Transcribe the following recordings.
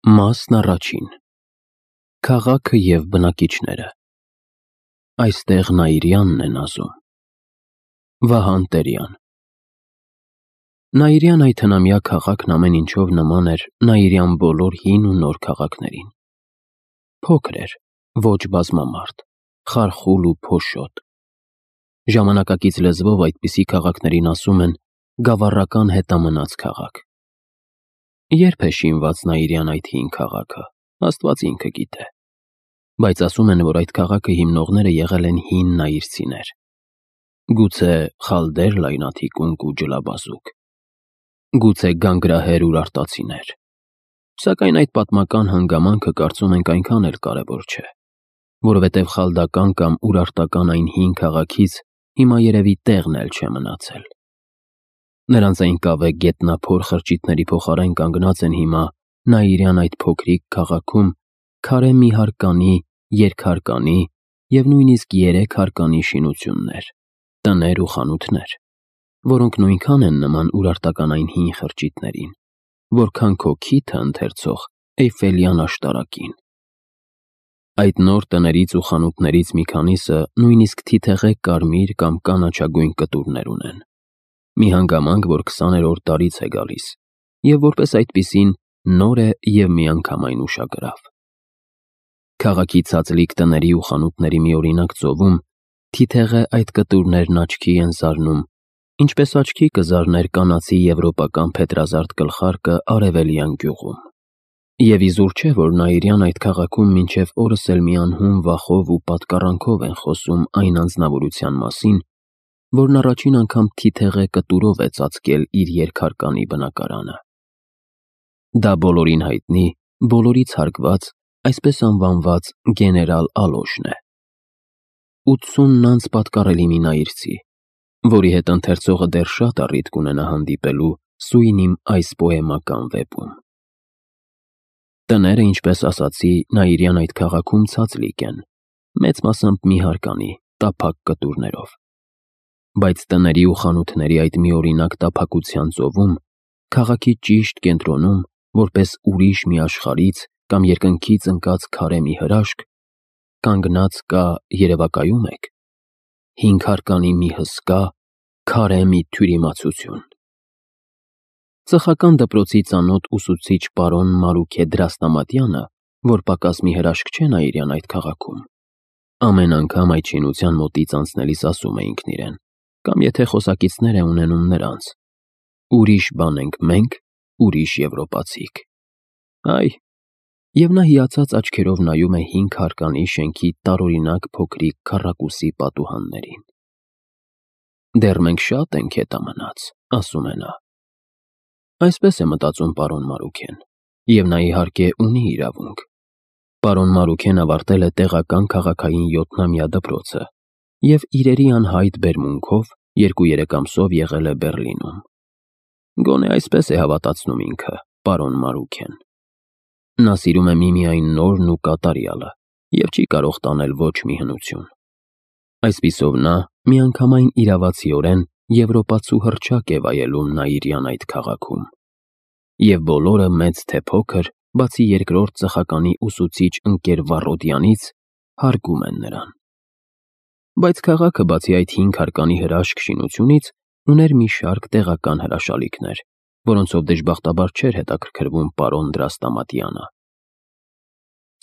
Մասն առաջին. Քաղաքը և բնակիչները։ Այստեղ Նաիրյանն են ասում։ Վահան Տերյան։ Նաիրյան այդ հնամյա քաղաքն ամեն ինչով նման էր Նաիրյան բոլոր հին ու նոր քաղաքներին։ Փոքր էր, ոչ բազմամարդ, խարխուլ ու փոշոտ։ Ժամանակակից լեզվով այդպիսի քաղաքներին ասում են գավառական հետամնաց քաղաք։ Երբ է շինված Նաիրյան այդ հին քաղաքը, Աստված ինքը գիտե, բայց ասում են, որ այդ քաղաքը հիմնողները եղել են հին նաիրցիներ։ Գուցե խալդեր լայնաթիկունք ու ջլաբազուկ, գուցե գանգրահեր ուրարտացիներ, սակայն այդ պատմական հանգամանքը կարծում ենք այնքան էլ կարևոր չէ, որովհետև խալդական կամ ուրարտական այն հին քաղաքից հիմա երևի տեղն էլ չէ մնացել։ Նրանց այն կավե գետնափոր խրճիթների փոխարեն կանգնած են հիմա Նաիրյան այդ փոքրիկ քաղաքում քարե մի հարկանի, երկհարկանի և նույնիսկ 3 հարկանի շինություններ, տներ ու խանութներ, որոնք նույնքան են նման ուրարտական այն հին խրճիթներին, որքան քո քիթը ընթերցող Էյֆելյան աշտարակին։ Այդ նոր տներից ու խանութներից մի քանիսը նույնիսկ թիթեղե կարմիր կամ կանաչագույն կտուրներ ունեն։ Մի հանգամանք, որ 20-րդ տարից է գալիս, և որպես այդպիսին նոր է և միանգամայն ուշագրավ։ Քաղաքի ցածլիկ տների ու խանութների մի օրինակ ծովում թիթեղե այդ կտուրներն աչքի են զարնում, ինչպես աչքի կզարներ կանացի եվրոպական փետրազարդ գլխարկը արևելյան գյուղում։ Եվ իզուր չէ, որ Նաիրյան այդ քաղաքում մինչև օրս էլ մի անհուն վախով ու պատկառանքով են խոսում այն անձնավորության մասին, որն առաջին անգամ թիթեղե կտուրով է ծածկել իր երկհարկանի բնակարանը։ Դա բոլորին հայտնի, բոլորից հարգված, այսպես անվանված գեներալ Ալոշն է։ 80 անց պատկառելի մի նաիրցի, որի հետ ընթերցողը դեռ շատ առիթ կունենա հանդիպելու սույն իմ այս պոեմական վեպում։ Տները, ինչպես ասացի, Նաիրյան այդ քաղաքում ցածլիկ են, մեծ մասամբ մի հարկանի, տափակ կտուրներով։ Բայց տների ու խանութների այդ մի օրինակ տափակության ծովում, քաղաքի ճիշտ կենտրոնում, որպես ուրիշ մի աշխարհից կամ երկնքից ընկած քարե մի հրաշք, կանգնած կա, երևակայում եք, 5 հարկանի մի հսկա, քարե մի թյուրիմացություն։ Ծխական դպրոցի ծանոթ ուսուցիչ պարոն Մարուքե Դրաստամատյանը, որ պակաս մի հրաշք չէ Նաիրյան այդ քաղաքում, ամեն անգամ այդ շինության մոտից անցնելիս ասում է ինքն իրեն, կամ եթե խոսակիցներ է ունենում նրանց. ուրիշ բան ենք մենք, ուրիշ եվրոպացիք։ Այ, և նա հիացած աչքերով նայում է 5 հարկանի շենքի տարօրինակ փոքրիկ քառակուսի պատուհաններին։ Դեռ մենք շատ ենք հետամնաց, ասում է նա։ Այսպես է մտածում պարոն Մարուքեն, և նա իհարկե ունի իրավունք։ Պարոն Մարուքեն ավարտել է տեղական քաղաքային 7-ամյա դպրոցը և իրերի անհայտ բերմունքով 2-3 ամսով եղել է Բեռլինում։ Գոնե այսպես է հավատացնում ինքը, պարոն Մարուքեն։ Նա սիրում է միմիայն նորն ու կատարյալը և չի կարող տանել ոչ մի հնություն։ Այսպիսով նա միանգամայն իրավացիորեն եվրոպացու հռչակ է վայելում Նաիրյան այդ քաղաքում։ Եվ բոլորը մեծ թե փոքր, բացի երկրորդ ծխականի ուսուցիչ ընկեր Վառոդյանից, հարգում են նրան։ Բայց քաղաքը բացի այդ 5 հարկանի հրաշք շինությունից ուներ մի շարք տեղական հրաշալիքներ, որոնցով դժբախտաբար չէր հետաքրքրվում պարոն Դրաստամատյանը։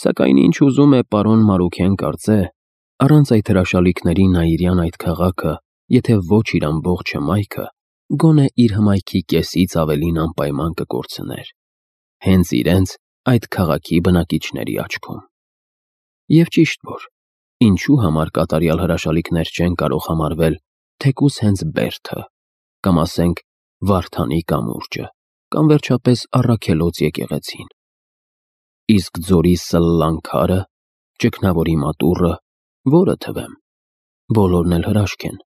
Սակայն ինչ ուզում է պարոն Մարուքեն կարծե, առանց այդ հրաշալիքների Նաիրյան այդ քաղաքը, եթե ոչ իր ամբողջ հմայքը, գոնե իր հմայքի կեսից ավելին անպայման կկորցներ, հենց իրենց այդ քաղաքի բնակիչների աչքում։ Եվ ճիշտ որ, ինչու համար կատարյալ հրաշալիքներ չեն կարող համարվել թեկուզ հենց Բերդը, կամ ասենք Վարդանի կամուրջը, կամ վերջապես Առաքելոց եկեղեցին։ Իսկ ձորի սլլան քարը, ճգնավորի մատուռը, որը թվեմ, բոլորն էլ հրաշք են,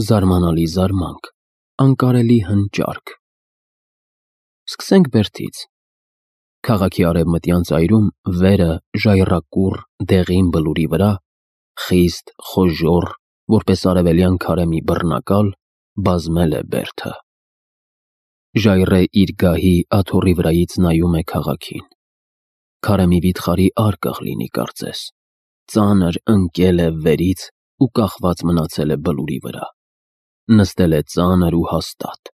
զարմանալի զարմանք, անկարելի հնճարք։ Սկսենք Բերդից։ Քաղաքի արևմտյան ծայրում վերը ժայռակուռ դեղին բլուրի վրա, խիստ, խոժոռ, որպես արևելյան քարե մի բռնակալ, բազմել է Բերդը։ Ժայռե իր գահի աթոռի վրայից նայում է քաղաքին։ Քարը մի վիթխարի արկղ լինի կարծես, ծանր ընկել է վերից ու կախված մնացել է բլուրի վրա, նստել է ծանր ու հաստատ։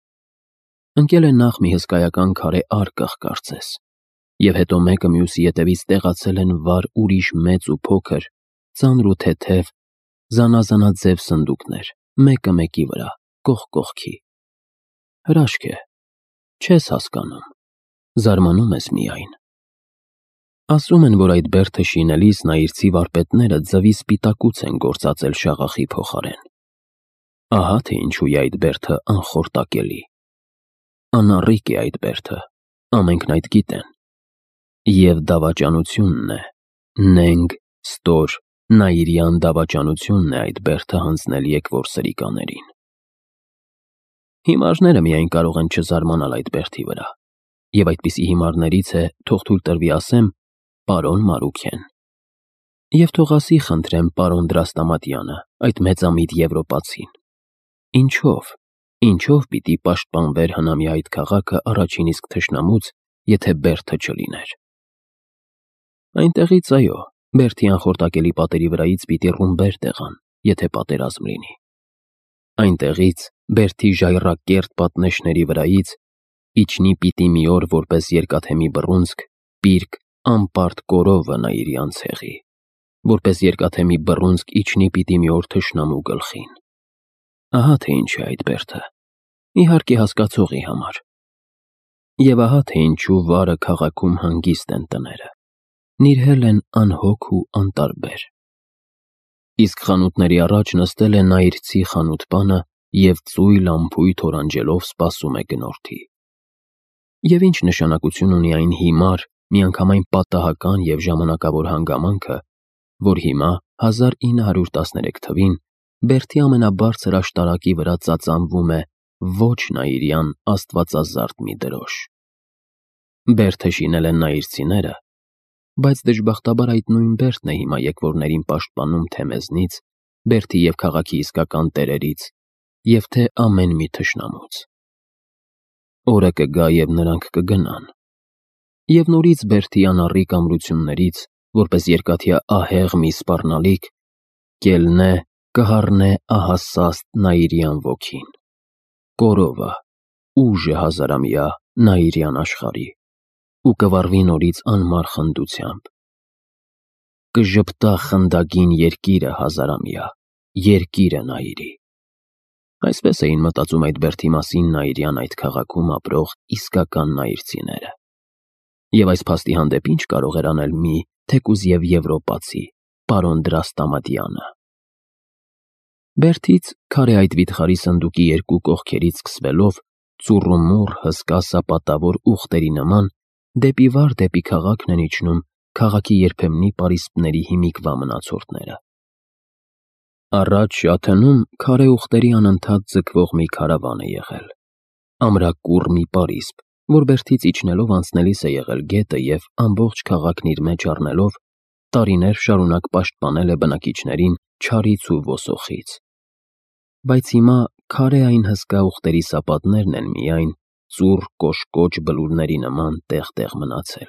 Ընկել է նախ մի հսկայական քարե արկղ կարծես, և հետո մեկը մյուսի ետևից տեղացել են վառ ուրիշ մեծ ու փոքր, ծանր ու թեթև, զանազանաձև սնդուկներ, մեկը մեկի վրա, կողք կողքի։ Հրաշք է, չես հասկանում, զարմանում ես միայն։ Ասում են, որ այդ բերդը շինելիս նայիրցի վարպետները ձվի սպիտակուց են գործածել շաղախի փոխարեն։ Ահա թե ինչու է այդ բերդը անխորտակելի։ Անառիկ է այդ բերդը, ամենքն այդ գիտեն։ Եվ դավաճանությունն է, նենգ, ստոր, նաիրյան դավաճանությունն է այդ բերդը հանձնել եկվոր սրիկաներին։ Հիմարները միայն կարող են չզարմանալ այդ բերդի վրա, և այդպիսի հիմարներից է, թող թույլ տրվի ասեմ, պարոն Մարուքեն։ Եվ թող ասի խնդրեմ պարոն Դրաստամատյանը, այդ մեծամիտ եվրոպացին. Ինչով պիտի պաշտպանվեր հնամի այդ քաղաքը առաջին իսկ թշնամուց, եթե բերդը չլիներ։ Այնտեղից, այո, բերդի անխորտակելի պատերի վրայից պիտի ռումբեր տեղան, եթե պատերազմ լինի։ Այնտեղից, բերդի ժայռակերտ պատնեշների վրայից, իջնի պիտի մի օր որպես երկաթեմի բռունցք, պիրկ, անպարտ կորովը Նաիրյան ցեղի, որպես երկաթեմի բռունցք իջնի պիտի մի օր թշնամու գլխին։ Ահա թե ինչ է այդ բերդը, իհարկե հասկացողի համար։ Եվ ահա թե ինչու վարը քաղաքում հանգիստ են տները, նիրհել են անհոգ ու անտարբեր։ Իսկ խանութների առաջ նստել է նայիրցի խանութպանը և ծույլ ամփույթ օրանջելով սպասում է գնորդի։ Եվ ինչ նշանակություն ունի այն հիմար, միանգամայն պատահական և ժամանակավոր հանգամանքը, որ հիմա 1913 թվին բերդի ամենաբարձր աշտարակի վրա ծածանվում է ոչ նաիրյան աստվածազարդ մի դրոշ։ Բերդը շինել են նայիրցիները, բայց դժբախտաբար այդ նույն բերդն է հիմա եկվորներին պաշտպանում թե մեզնից, բերդի և քաղաքի իսկական տերերից, և թե ամեն մի թշնամուց։ Օրը կգա, և նրանք կգնան։ Եվ նորից բերդի անառիկ ամրություններից, որպես երկաթյա ահեղ մի սպառնալիք, կելնե, կհառնե ահասաստ նաիրյան ոգին։ Կորովը, ուժը հազարամյա Նաիրյան աշխարհի, ու կվառվի նորից անմար խնդությամբ։ Կժպտա խնդագին երկիրը հազարամյա, երկիրը Նաիրի։ Այսպես էին մտածում այդ բերդի մասին Նաիրյան այդ քաղաքում ապրող իսկական նայիրցիները։ Եվ այս փաստի հանդեպ ինչ կարող էր անել մի թեկուզ և եվրոպացի, պարոն Դրաստամատյանը։ Բերդից քարե այդ վիթխարի սնդուկի երկու կողքերից սկսվելով, ծուռումուռ հսկա սապատավոր ուղտերի նման, դեպի վար դեպի քաղաքն են իջնում քաղաքի երբեմնի պարիսպների հիմիկվա մնացորդները։ Առաջ Շաթնում քարե ուղտերի անընդհատ ձգվող մի քարավան է եղել, ամրակուռ մի պարիսպ, որ բերդից իջնելով անցնելիս է եղել գետը և ամբողջ քաղաքն իր մեջ առնելով, տարիներ շարունակ պաշտպանել է բնակիչներին չարից ու ոսոխից։ Բայց հիմա քարե այն հսկա ուղտերի սապատներն են միայն ծուռ կոշկոչ բլուրների նման տեղ-տեղ մնացել։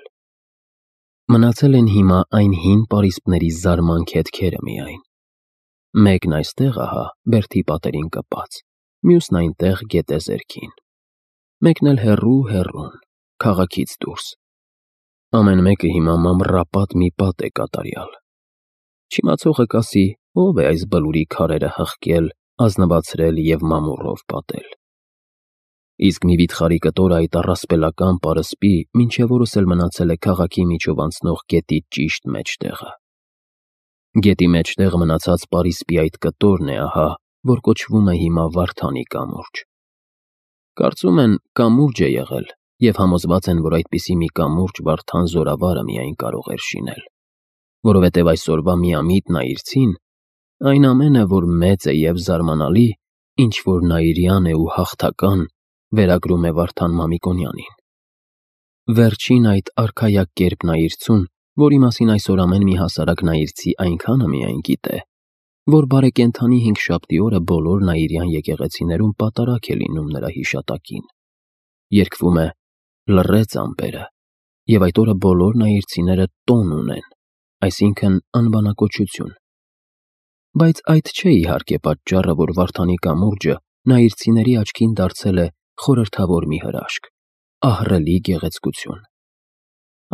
Մնացել են հիմա այն հին պարիսպների զարմանք հետքերը միայն։ Մեկն այստեղ ահա բերդի պատերին կպած, մյուսն այնտեղ գետեզերքին, մեկն էլ հեռու, քաղաքից դուրս։ Ամեն մեկը հիմա մամռապատ մի պատ է կատարյալ։ Չիմացողը կասի, ով է այս բլուրի քարերը հղկել, ազնվացրել և մամուռով պատել։ Իսկ մի վիթխարի կտորը այդ առասպելական պարսպի մինչև օրս էլ մնացել է քաղաքի միջով անցնող գետի ճիշտ մեջտեղը։ Գետի մեջտեղ մնացած պարիսպի այդ կտորն է ահա, որ կոչվում է հիմա Վարդանի կամուրջ։ Կարծում են կամուրջ է եղել և համոզված են, որ այդպիսի մի կամուրջ Վարդան զորավարը միայն կարող էր շինել, որովհետև այսօրվա միամիտ նայիրցին այն ամենը, որ մեծ է և զարմանալի, ինչ որ նաիրյան է ու հաղթական, վերագրում է Վարդան Մամիկոնյանին։ Վերջին այդ արքայակերպ նայիրցուն, որի մասին այսօր ամեն մի հասարակ նայիրցի այնքանը միայն գիտե, որ բարեկենդանի հինգշաբթի օրը բոլոր նաիրյան եկեղեցիներում պատարագ է լինում նրա հիշատակին։ Երգվում է «Լռեց ամպերը, եւ այդ օրը բոլոր նայիրցիները տոն ունեն, այսինքն անբանակոչություն։ Բայց այդ չէ իհարկե պատճառը, որ Վարդանի կամուրջը նայիրցիների աչքին դարձել է խորհրդավոր մի հրաշք, ահռելի գեղեցկություն։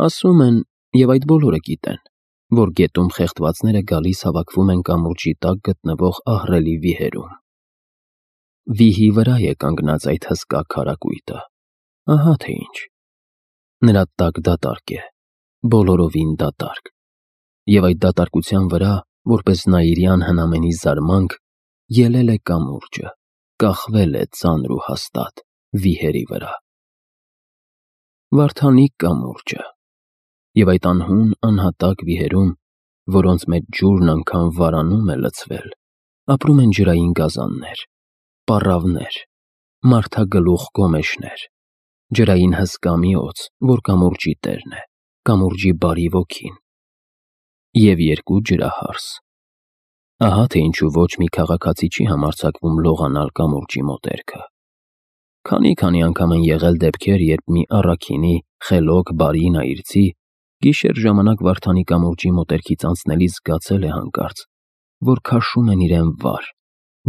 Ասում են, եւ այդ բոլորը գիտեն, որ գետում խեղդվածները գալիս հավաքվում են կամուրջի տակ գտնվող ահռելի վիհերում։ Վիհի վրա է կանգնած այդ հսկա քարակույտը, ահա թե ինչ։ Նրա տակ դատարկ է, բոլորովին դատարկ, եւ այդ դատարկության վրա, որպես նայիրյան հնամենի զարմանք, ելել է կամուրջը, կախվել է ծանր ու հաստատ վիհերի վրա։ Վարդանի կամուրջը, եւ այդ անհուն անհատակ վիհերում, որոնց մեջ ջուրն անգամ վարանում է լցվել, ապրում են ջրային գազաններ, պառավներ, մարդագլուխ գոմեշներ, ջրային հսկա մի օձ, որ կամուրջի տերն է, կամուրջի բարի ոգին, եւ երկու ջրահարս։ Ահա թե ինչու ոչ մի քաղաքացի չի համարձակվում լողանալ կամուրջի մոտերքը։ Քանի անգամ են եղել դեպքեր, երբ մի առաքինի, խելոք, բարի նայիրցի գիշեր ժամանակ Վարդանի կամուրջի մոտերքից անցնելիս զգացել է հանկարծ, որ քաշում են իրեն վար,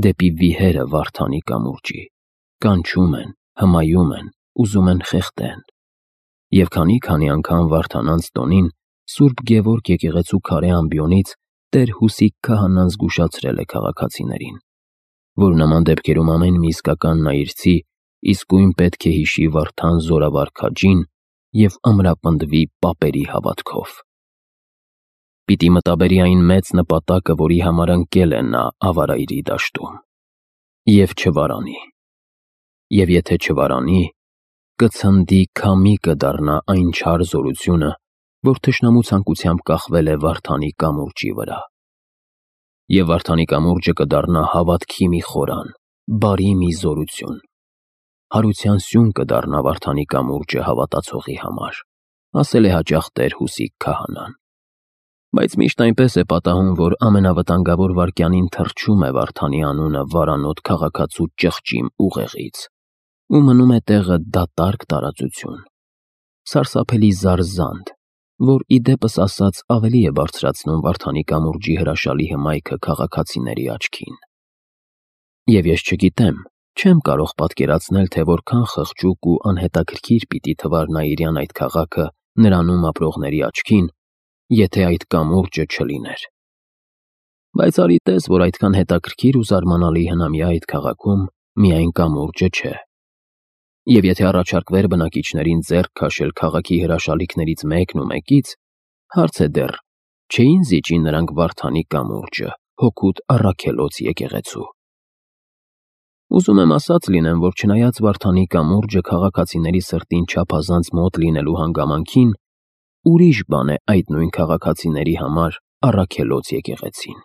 դեպի վիհերը Վարդանի կամուրջի, կանչում են, հմայում են, ուզում են խեղդեն։ Եվ քանի անգամ Վարդանանց տոնին Սուրբ Գևորգ եկեղեցու քարե ամբիոնից Տեր Հուսիկ քահանան զգուշացրել է քաղաքացիներին, որ նման դեպքերում ամեն մի իսկական նայիրցի իսկույն պետք է հիշի Վարդան զորավար քաջին եւ ամրապնդվի պապերի հավատքով։ Պիտի մտաբերի այն մեծ նպատակը, որի համար ընկել է նա ավարայրի դաշտում, եւ չվարանի։ Եվ եթե չվարանի, կցնդի քամի կդառնա այն չար զորությունը, որ թշնամու ցանկությամբ կախվել է Վարդանի կամուրջի վրա։ Եվ Վարդանի կամուրջը կդառնա հավատքի մի խորան, բարի մի զորություն։ Հարության սյուն կդառնա Վարդանի կամուրջը հավատացողի համար, ասել է հաճախ Տեր Հուսիկ քահանան։ Բայց միշտ այնպես է պատահում, որ ամենավտանգավոր վայրկյանին թռչում է Վարդանի անունը վարանոտ քաղաքացու ճղճիմ ուղեղից, ու մնում է տեղը դատարկ տարածություն, սարսափելի զարզանդ, որ ի դեպս ասած ավելի է բարձրացնում Վարդանի կամուրջի հրաշալի հմայքը քաղաքացիների աչքին։ Եվ ես չգիտեմ, չեմ կարող պատկերացնել, թե որքան խղճուկ ու անհետաքրքիր պիտի թվար նայիրյան այդ քաղաքը նրանում ապրողների աչքին, եթե այդ կամուրջը չլիներ։ Բայց արի տես, որ այդքան հետաքրքիր ու զարմանալի հնամյա այդ քաղաքում միայն կամուրջը չէ։ Եվ եթե առաջարկվեր բնակիչներին ձեռք քաշել քաղաքի հրաշալիքներից մեկն ու մեկից, հարց է դեռ, չէին զիջի նրանք Վարդանի կամուրջը, հօգուտ առաքելոց եկեղեցու։ Ուզում եմ ասած լինեմ, որ չնայած Վարդանի կամուրջը քաղաքացիների սրտին չափազանց մոտ լինելու հանգամանքին, ուրիշ բան է այդ նույն քաղաքացիների համար առաքելոց եկեղեցին։